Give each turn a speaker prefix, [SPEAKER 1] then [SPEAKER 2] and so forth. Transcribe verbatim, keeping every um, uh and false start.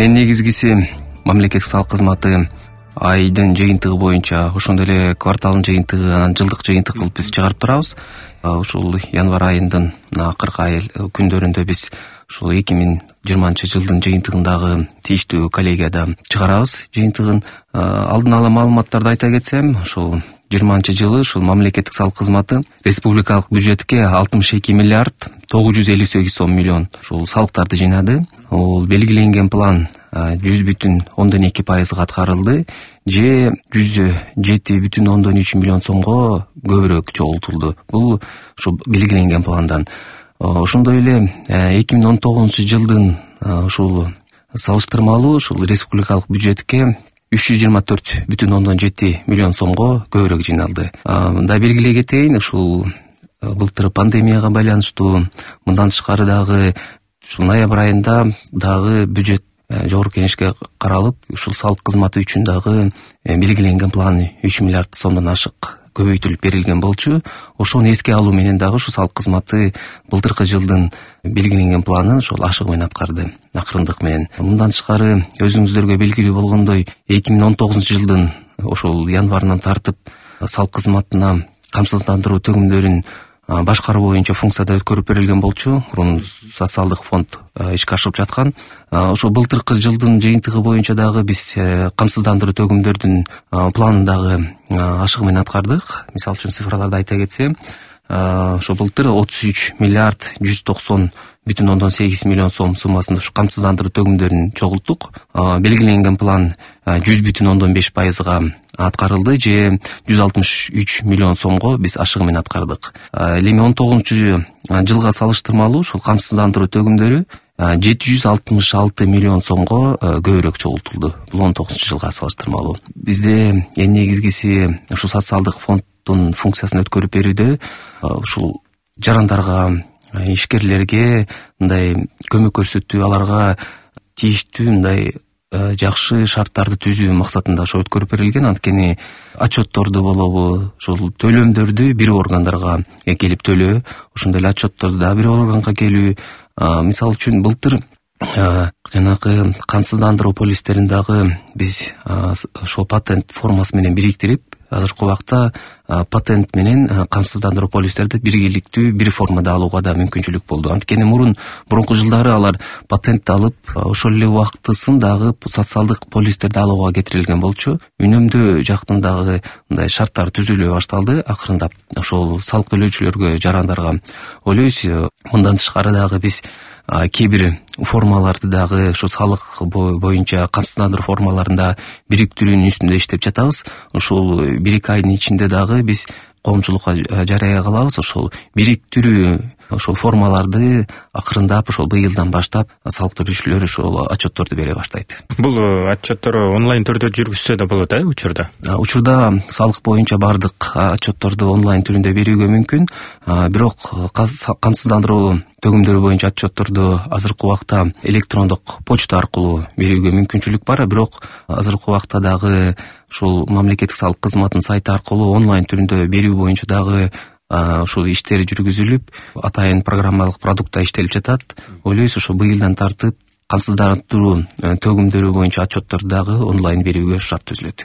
[SPEAKER 1] Эң негизгиси мамлекеттик салык кызматы айдын жыйынтыгы боюнча, ошондой эле кварталдын жыйынтыгы, анан жылдык жыйынтык кылып биз чыгарып турабыз. Ушул январь айынын акыркы ай күндөрүндө биз ушул эки миң жыйырманчы жылдын жыйынтыгындагы тийиштүү коллегияда чыгарабыз жыйынтыгын. Алдын ала маалыматтарды айта кетсем, ушул жыйырманчы жылы ушул мамлекеттик салык кызматы республикалык бюджетке алтымыш эки миллиард тогуз жүз элүү сегиз сом миллион ушул салыктарды жыйнады. Ол белгиленген план жүз бүтүн ондон эки пайызга аткарылды же жүз жети бүтүн ондон үч миллион сомго көбүрөөк чогултулду. Бул ушу белгиленген пландан. Ошондой эле эки миң он тогузунчу жылдын ушул салыштырмалуу ушул республикалык бюджетке үч жүз жыйырма төрт бүтүн ондон жети миллион сомго көбүрөөк жыйналды. Мында белгилей кетейин, ушул былтыр пандемияга байланыштуу, мындан тышкары дагы ушул ноябрь айында дагы бюджет жогорку кеңешке каралып, ушул салык кызматы үчүн дагы белгиленген план үч миллиард сомдон ашык көбөйтүлүп берилген болчу. Ошону эске алуу менен дагы ушул салык кызматы былтыркы жылдын белгиленген планын ошол ашыгы менен аткарды, акырындык менен. Мындан тышкары өзүңүздөргө белгилүү болгондой, эки миң он тогузунчу жылдын ошол январынан тартып салык кызматына камсыздандыруу төгүмдөрүн башкаруу боюнча функцияда өткөрүп берилген болчу. Мурун социалдык фонд ишке ашырып жаткан. Ошо былтыркы жылдын жыйынтыгы боюнча дагы биз камсыздандыруу төгүмдөрдүн планын дагы ашыгы менен аткардык. Мисалы үчүн цифраларды айта кетсем, ошо былтыр отуз үч миллиард жүз токсон бүтүн ондон сегиз миллион сом суммасында ушу камсыздандыруу төгүмдөрүн чогулттук. Белгиленген план жүз бүтүн ондон беш пайызга аткарылды же жүз алтымыш үч миллион сомго биз ашыгы менен аткардык. Эми он тогузунчу жылга салыштырмалуу ушул камсыздандыруу төгүмдөрү жети жүз алтымыш алты миллион сомго көбүрөөк чогултулду. Бул он тогузунчу жылга салыштырмалуу. Бизде эң негизгиси ушул социалдык фонддун функциясын өткөрүп берүүдө ушул жарандарга, ишкерлерге мындай көмөк көрсөтүү, аларга тийиштүү мындай жакшы шарттарды түзүү максатында ошо өткөрүп берилген. Анткени отчетторду болобу, ушул төлөмдөрдү бир органдарга келип төлөө, ошондой эле отчетторду да бир органга келүү. Мисалы үчүн былтыр жанагы камсыздандыруу полистерин дагы биз ошол патент формасы менен бириктирип, азыркы убакта патент менен камсыздандыруу полистерди биргеликтүү бир формада алууга да мүмкүнчүлүк болду. Анткени мурун мурунку жылдары алар патентти алып, ошол эле убактысын дагы социалдык полистерди алууга кетирилген болчу. Үнөмдөө жактан дагы мындай шарттар түзүлө башталды акырындап. Ошол салык төлөөчүлөргө, жарандарга ойлойбуз. Мындан тышкары дагы биз кээ бир формаларды дагы ошо салык боюнча камсыздандыруу формаларында бириктирүүнүн үстүндө иштеп жатабыз. Ушул бир эки айдын ичинде дагы биз коомчулукка жарыя кылабыз. Ошол бириктирүү ошол формаларды акырындап ошол быйылдан баштап салык төлөөчүлөр ошол отчетторду бере баштайт.
[SPEAKER 2] Бул отчеттор онлайн түрдө жүргүзсө да болот, э, учурда?
[SPEAKER 1] Учурда салык боюнча бардык отчетторду онлайн түрүндө берүүгө мүмкүн. Бирок камсыздандыруу төгүмдөрү боюнча отчетторду азыркы убакта электрондук почта аркылуу берүүгө мүмкүнчүлүк бар. Бирок азыркы убакта дагы ушул мамлекеттик салык кызматынын сайты аркылуу онлайн түрүндө берүү боюнча дагы ушул иштер жүргүзүлүп, атайын программалык продуктта иштелип жатат. Ойлойбуз, ошо быйылдан тартып камсыздандыруу төгүмдөрү боюнча отчетторду дагы онлайн берүүгө шарт түзүлөт.